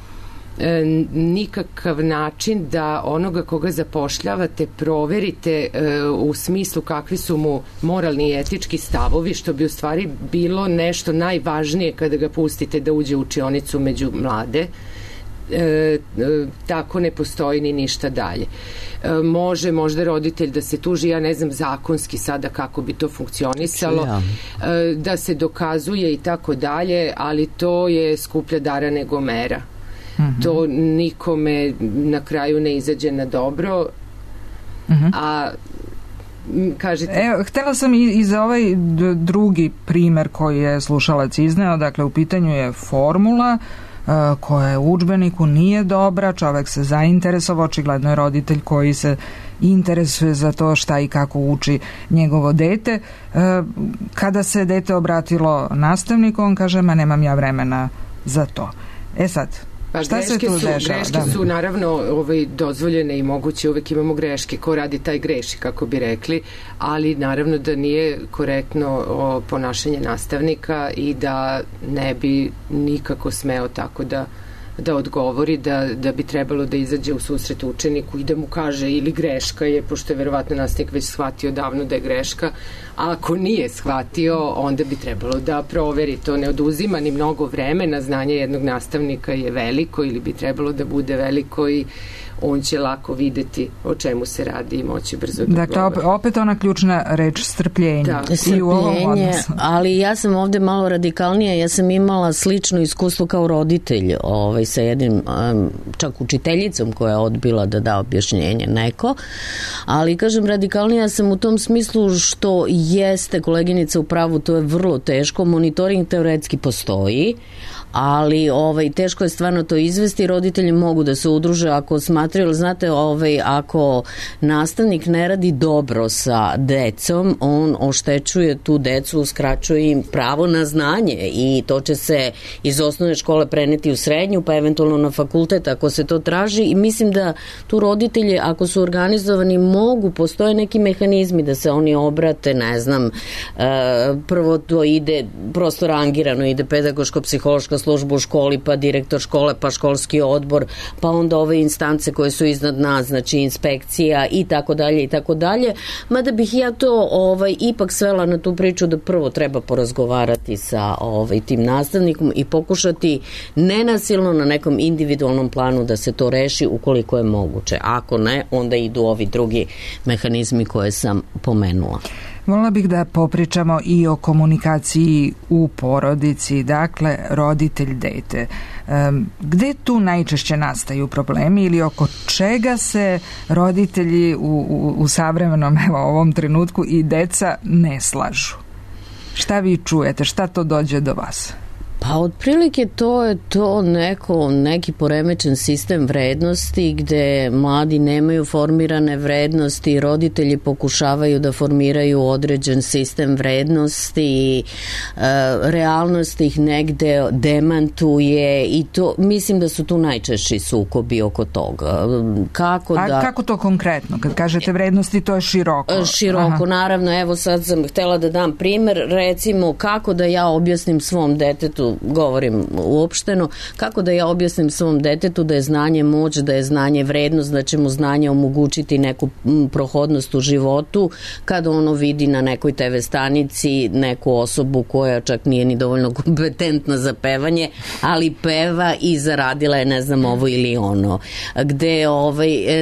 nikakav način da onoga koga zapošljavate proverite u smislu kakvi su mu moralni i etički stavovi, što bi u stvari bilo nešto najvažnije kada ga pustite da uđe u učionicu među mlade. Tako ne postoji ni ništa dalje. Može možda roditelj da se tuži, ja ne znam zakonski sada kako bi to funkcionisalo, da se dokazuje i tako dalje, ali to je skuplja dara nego mera. To nikome na kraju ne izađe na dobro. A kažete... Evo, htela sam i za ovaj drugi primer koji je slušalac izneo, dakle u pitanju je formula koja je u udžbeniku nije dobra, čovek se zainteresovao, očigledno je roditelj koji se interesuje za to šta i kako uči njegovo dete. Kada se dete obratilo nastavniku, on kaže, ma nemam ja vremena za to. Sad, šta se tu dešava? Greške su naravno dozvoljene i moguće, uvek imamo greške, ko radi taj greši, kako bi rekli, ali naravno da nije korektno ponašanje nastavnika i da ne bi nikako smeo tako da odgovori, da bi trebalo da izađe u susret učeniku i da mu kaže ili greška je, pošto je verovatno nastavnik već shvatio davno da je greška, a ako nije shvatio, onda bi trebalo da proveri. To ne oduzima ni mnogo vremena, znanje jednog nastavnika je veliko ili bi trebalo da bude veliko i on će lako videti o čemu se radi i moći brzo da govori. Dakle, opet ona ključna reč strpljenje. Da, strpljenje, ali ja sam ovde malo radikalnija, ja sam imala slično iskustvo kao roditelj sa jednim, čak učiteljicom koja je odbila da da objašnjenje neko, ali kažem radikalnija sam u tom smislu što jeste koleginica u pravu, to je vrlo teško, monitoring teoretski postoji, ali teško je stvarno to izvesti, roditelji mogu da se udruže ako smatraju, znate, ako nastavnik ne radi dobro sa decom, on oštećuje tu decu, uskraćuje im pravo na znanje i to će se iz osnovne škole preneti u srednju, pa eventualno na fakultet ako se to traži i mislim da tu roditelji, ako su organizovani, postoje neki mehanizmi da se oni obrate, ne znam, prvo to ide prosto rangirano, ide pedagoško-psihološka služba u školi, pa direktor škole, pa školski odbor, pa onda ove instance koje su iznad nas, znači inspekcija i tako dalje i tako dalje. Mada bih ja to ipak svela na tu priču da prvo treba porazgovarati sa tim nastavnikom i pokušati nenasilno na nekom individualnom planu da se to reši ukoliko je moguće. Ako ne, onda idu ovi drugi mehanizmi koje sam pomenula. Volila bih da popričamo i o komunikaciji u porodici, dakle roditelj-dete. Gde tu najčešće nastaju problemi ili oko čega se roditelji u savremenom ovom trenutku i deca ne slažu? Šta vi čujete? Šta to dođe do vas? Pa otprilike to je to neki poremećen sistem vrednosti gde mladi nemaju formirane vrednosti, roditelji pokušavaju da formiraju određen sistem vrednosti i realnost ih negde demantuje i to mislim da su tu najčešći sukobi oko toga. Kako to konkretno? Kad kažete vrednosti, to je široko. Široko, naravno. Evo sad sam htela da dam primer, recimo kako da ja objasnim svom detetu, govorim uopšteno, kako da ja objasnim svom detetu da je znanje moć, da je znanje vrednost, da će mu znanje omogućiti neku prohodnost u životu kada ono vidi na nekoj TV stanici neku osobu koja čak nije ni dovoljno kompetentna za pevanje, ali peva i zaradila je ne znam ovo ili ono. Gde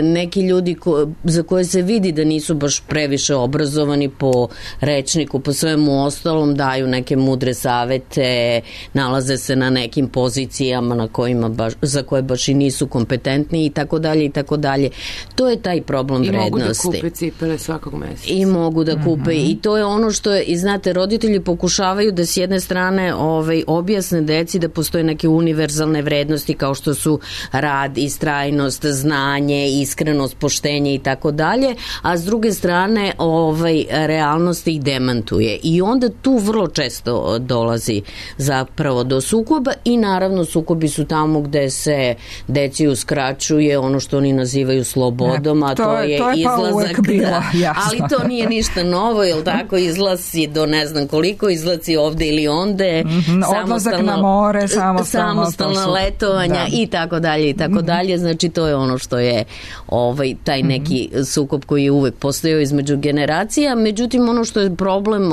neki ljudi za koje se vidi da nisu baš previše obrazovani po rečniku, po svemu ostalom daju neke mudre savete, nalaze se na nekim pozicijama na kojima za koje baš i nisu kompetentni i tako dalje i tako dalje. To je taj problem vrednosti. I mogu da kupe cipele svakog meseca. I mogu da kupe i to je ono što je, i znate, roditelji pokušavaju da s jedne strane objasne deci da postoje neke univerzalne vrednosti kao što su rad, istrajnost, znanje, iskrenost, poštenje i tako dalje, a s druge strane realnost ih demantuje i onda tu vrlo često dolazi zapravo upravo do sukoba i naravno sukobi su tamo gde se deci uskraćuje ono što oni nazivaju slobodom, a to je izlazak, ali to nije ništa novo, jel tako, izlazi do ne znam koliko, izlazi ovde ili onde, odlazak na more, samostalna letovanja i tako dalje i tako dalje, znači to je ono što je taj neki sukob koji je uvek postojao između generacija. Međutim, ono što je problem,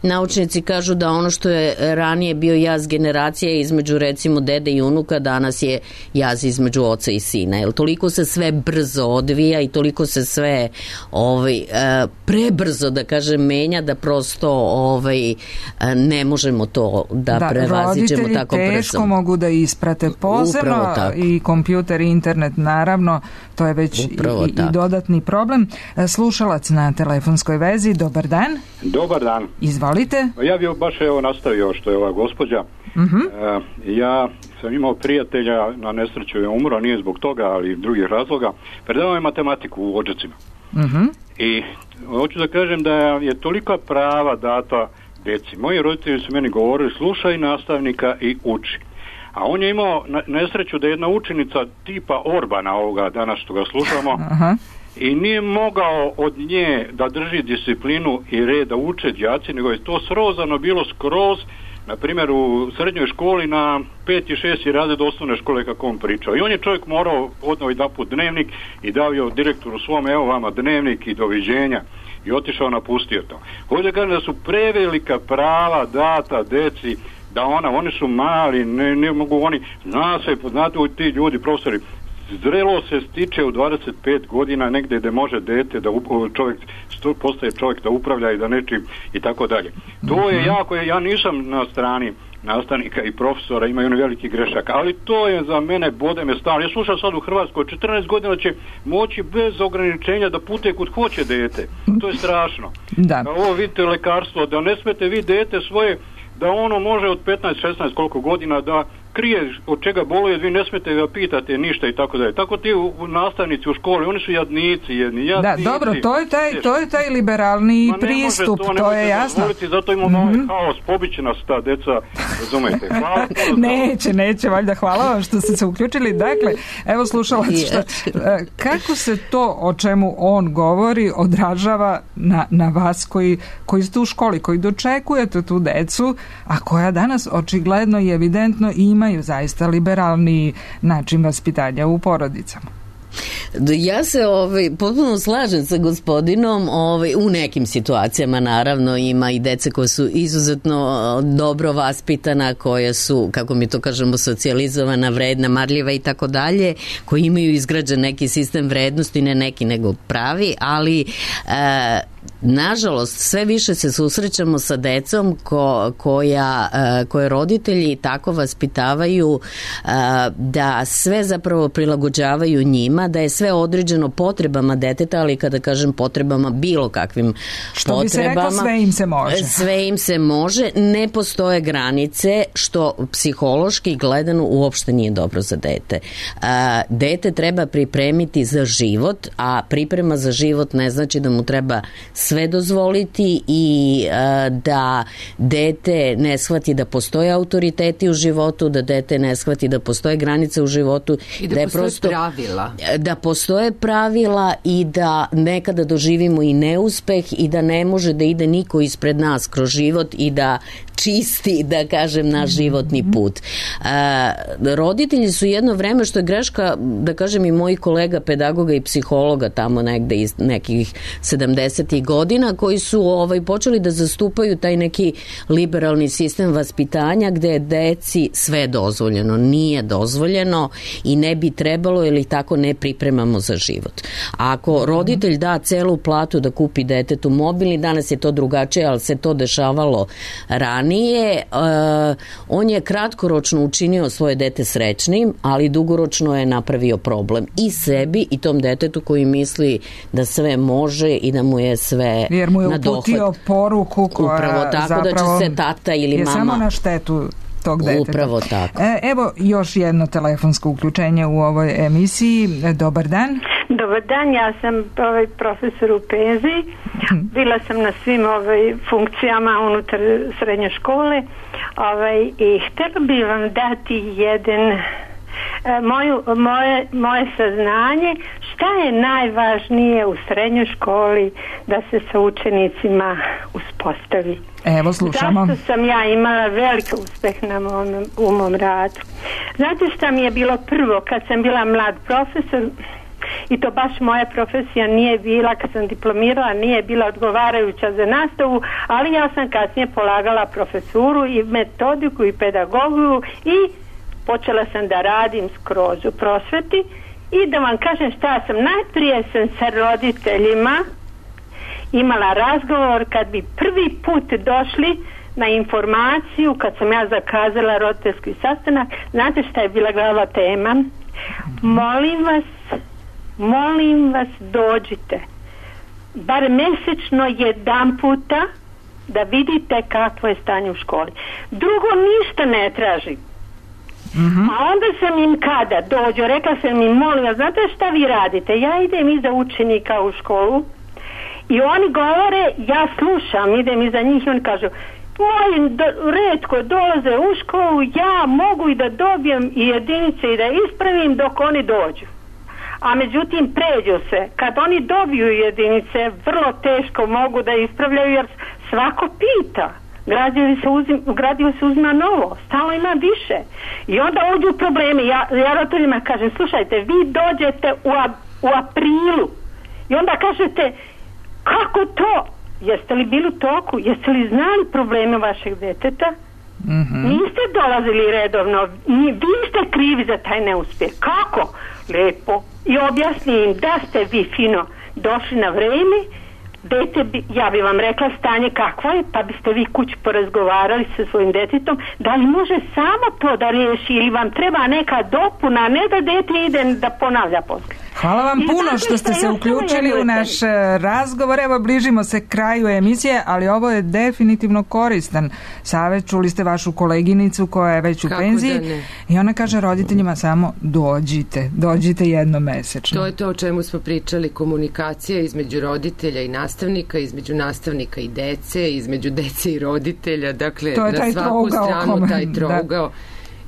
naučnici kažu da ono što je ranije bio jaz generacija između recimo dede i unuka, danas je jaz između oca i sina, jer toliko se sve brzo odvija i toliko se sve prebrzo, da kažem, menja, da prosto ne možemo to da prevaziđemo tako brzo. Roditelji teško mogu da isprate posebno i kompjuter i internet, naravno, to je već i dodatni problem. Slušalac na telefonskoj vezi, dobar dan. Dobar dan. Izvolite. Ja bih baš nastavio što je ova gospođa. Ja sam imao prijatelja, na nesreću je umro, nije zbog toga, ali drugih razloga. Predavao je matematiku u Odžacima. I hoću da kažem da je tolika prava data deci. Moji roditelji su meni govorili, slušaj nastavnika i uči. A on je imao nesreću da je jedna učenica tipa Orbana ovoga danas što ga slušamo i nije mogao od nje da drži disciplinu i red da uče đaci, nego je to srozano bilo skroz, na primjer u srednjoj školi na 5. i 6. razred osnovne škole kako on pričao. I on je čovjek morao odnao jedan put dnevnik i dao je direktoru svom, evo vama dnevnik i doviđenja, i otišao, napustio to. Ovdje kažem da su prevelika prava data deci, da oni su mali, ne mogu oni, znate ti ljudi, profesori, zrelo se stiče u 25 godina negdje gdje može dete da čovjek postaje čovjek da upravlja i da nečim i tako dalje. To je jako, ja nisam na strani nastavnika i profesora, imaju oni veliki grešak, ali to je za mene, bode me stalno. Ja slušam sad u Hrvatskoj, 14 godina će moći bez ograničenja da putuje kud hoće dete. To je strašno. Ovo vidite lekarstvo, da ne smete vi dete svoje, da ono može od 15-16 koliko godina da krije od čega boluje, vi ne smete ga pitate ništa i tako dalje. Tako ti nastavnici u školi, oni su jadnici jedni. Da, dobro, to je taj liberalni pristup, to je jasno. Zato imamo ovaj haos, pobiće nas ta deca, razumete. Neće, valjda, hvala vam što ste se uključili. Dakle, evo slušalac, kako se to o čemu on govori odražava na vas koji ste u školi, koji dočekujete tu decu, a koja danas očigledno i evidentno imaju zaista liberalni način vaspitanja u porodicama? Ja se potpuno slažem sa gospodinom, u nekim situacijama naravno ima i dece koje su izuzetno dobro vaspitana, koje su, kako mi to kažemo, socijalizovana, vredna, marljiva i tako dalje, koji imaju izgrađen neki sistem vrednosti, ne neki nego pravi, ali nažalost sve više se susrećamo sa decom koje roditelji tako vaspitavaju da sve zapravo prilagođavaju njima, da je sve određeno potrebama deteta, ali kada kažem potrebama, bilo kakvim što potrebama. Što bi se rekao, sve im se može. Sve im se može, ne postoje granice, što psihološki gledano uopšte nije dobro za dete. Dete treba pripremiti za život, a priprema za život ne znači da mu treba sve dozvoliti i da dete ne shvati da postoje autoriteti u životu, da dete ne shvati da postoje granice u životu. I da postoje pravila. Da postoje pravila i da nekada doživimo i neuspeh i da ne može da ide niko ispred nas kroz život i da čisti, da kažem, naš životni put. Roditelji su jedno vreme, što je greška, da kažem, i mojih kolega pedagoga i psihologa tamo negde iz nekih 70. godina, koji su počeli da zastupaju taj neki liberalni sistem vaspitanja gde je deci sve dozvoljeno. Nije dozvoljeno i ne bi trebalo, jer ih tako ne pripremamo za život. A ako roditelj da celu platu da kupi detetu mobilni, danas je to drugačije, ali se to dešavalo ranije, on je kratkoročno učinio svoje dete srećnim, ali dugoročno je napravio problem i sebi i tom detetu koji misli da sve može i da mu je sve na dohvat. Jer mu je uputio poruku koja upravo tako zapravo da će se tata ili je mama samo na štetu tog deteta. Upravo tako. Evo još jedno telefonsko uključenje u ovoj emisiji. Dobar dan. Dobar dan, ja sam profesor u penziji. Bila sam na svim funkcijama unutar srednje škole, I htjela bi vam dati moje saznanje šta je najvažnije u srednjoj školi da se sa učenicima uspostavi. Evo, slušamo. Zašto sam ja imala veliki uspeh u mom radu? Znate šta mi je bilo prvo kad sam bila mlad profesor, i to baš moja profesija nije bila, kad sam diplomirala, nije bila odgovarajuća za nastavu, ali ja sam kasnije polagala profesuru i metodiku i pedagogiju i počela sam da radim skroz u prosveti. I da vam kažem šta sam, najprije sam sa roditeljima imala razgovor kad bi prvi put došli na informaciju, kad sam ja zakazala roditeljski sastanak. Znate šta je bila glavna tema? Molim vas dođite bar mjesečno jedan puta da vidite kakvo je stanje u školi. Drugo ništa ne tražim. A onda sam im kada dođu, rekla sam im, molim vas, znate šta vi radite? Ja idem iza učenika u školu i oni govore, ja slušam, idem iza njih i oni kažu, moji retko dolaze u školu, ja mogu i da dobijem i jedinice i da ispravim dok oni dođu. A međutim pređu se. Kad oni dobiju jedinice, vrlo teško mogu da ispravljaju jer svako pita. Gradivo se uzima novo, stalno ima više. I onda uđu problemi. Ja roditeljima kažem, slušajte, vi dođete u aprilu i onda kažete, kako to? Jeste li bili u toku? Jeste li znali probleme vašeg deteta? Niste dolazili redovno, vi ste krivi za taj neuspjeh. Kako? Lepo. I objasni im da ste vi fino došli na vreme, ja bi vam rekla stanje kakvo je, pa biste vi kući porazgovarali sa svojim detetom, da li može samo to da riješi ili vam treba neka dopuna, ne da dete ide da ponavlja poslije. Hvala vam puno što ste se uključili u naš razgovor. Evo, bližimo se kraju emisije, ali ovo je definitivno koristan savjet. Čuli ste vašu koleginicu koja je već u penziji i ona kaže roditeljima samo dođite jednom mesečno. To je to o čemu smo pričali, komunikacija između roditelja i nastavnika, između nastavnika i dece, između dece i roditelja, dakle na svaku stranu taj trougao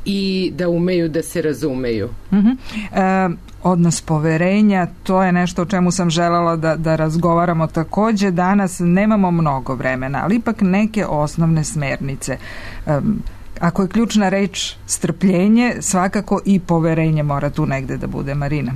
i da umeju da se razumeju. Odnos poverenja, to je nešto o čemu sam željela da razgovaramo također. Danas nemamo mnogo vremena, ali ipak neke osnovne smernice. Ako je ključna reč strpljenje, svakako i poverenje mora tu negde da bude. Marina?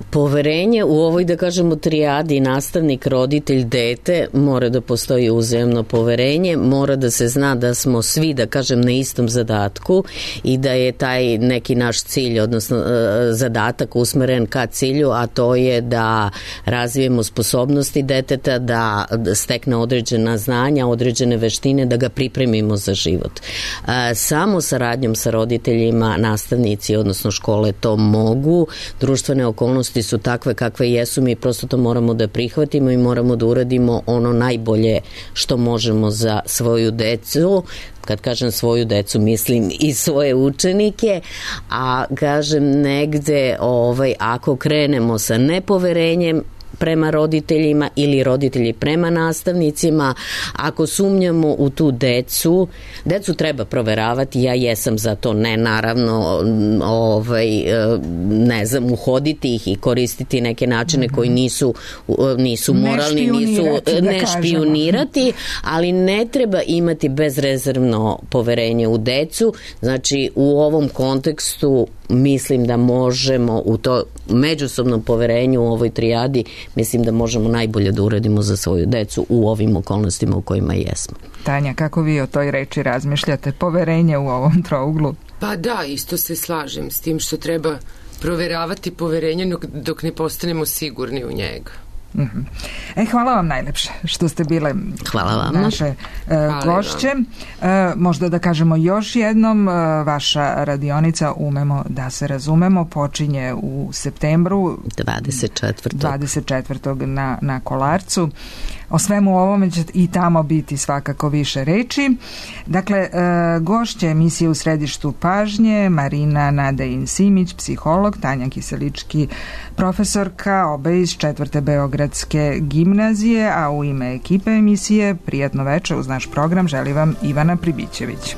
Poverenje u ovoj, da kažemo, trijadi nastavnik, roditelj, dete, mora da postoji uzajamno poverenje, mora da se zna da smo svi, da kažem, na istom zadatku i da je taj neki naš cilj, odnosno zadatak usmeren ka cilju, a to je da razvijemo sposobnosti deteta, da stekne određena znanja, određene veštine, da ga pripremimo za život. Samo saradnjom sa roditeljima, nastavnici, odnosno škole to mogu, društvene okolnosti su takve kakve jesu, mi prosto to moramo da prihvatimo i moramo da uradimo ono najbolje što možemo za svoju decu. Kad kažem svoju decu, mislim i svoje učenike, a kažem negde ako krenemo sa nepoverenjem prema roditeljima ili roditelji prema nastavnicima, ako sumnjamo u tu decu treba proveravati, ja jesam za to, ne naravno ne znam, uhoditi ih i koristiti neke načine koji nisu moralni, ne špijunirati, ali ne treba imati bezrezervno poverenje u decu. Znači u ovom kontekstu mislim da možemo u to međusobnom poverenju u ovoj trijadi, mislim da možemo najbolje da uradimo za svoju decu u ovim okolnostima u kojima jesmo. Tanja, kako vi o toj reči razmišljate? Poverenje u ovom trouglu? Pa da, isto se slažem s tim što treba proveravati poverenje dok ne postanemo sigurni u njega. Hvala vam najlepše što ste bile naše gošće. Možda da kažemo još jednom, vaša radionica Umemo da se razumemo počinje u septembru 24. na Kolarcu. O svemu ovome će i tamo biti svakako više reči. Dakle, gošće emisije U središtu pažnje, Marina Nadejin-Simić, psiholog, Tanja Kiselički, profesorka, obe iz 4. Beogradske gimnazije, a u ime ekipe emisije prijatno večer uz naš program želi vam Ivana Pribićević.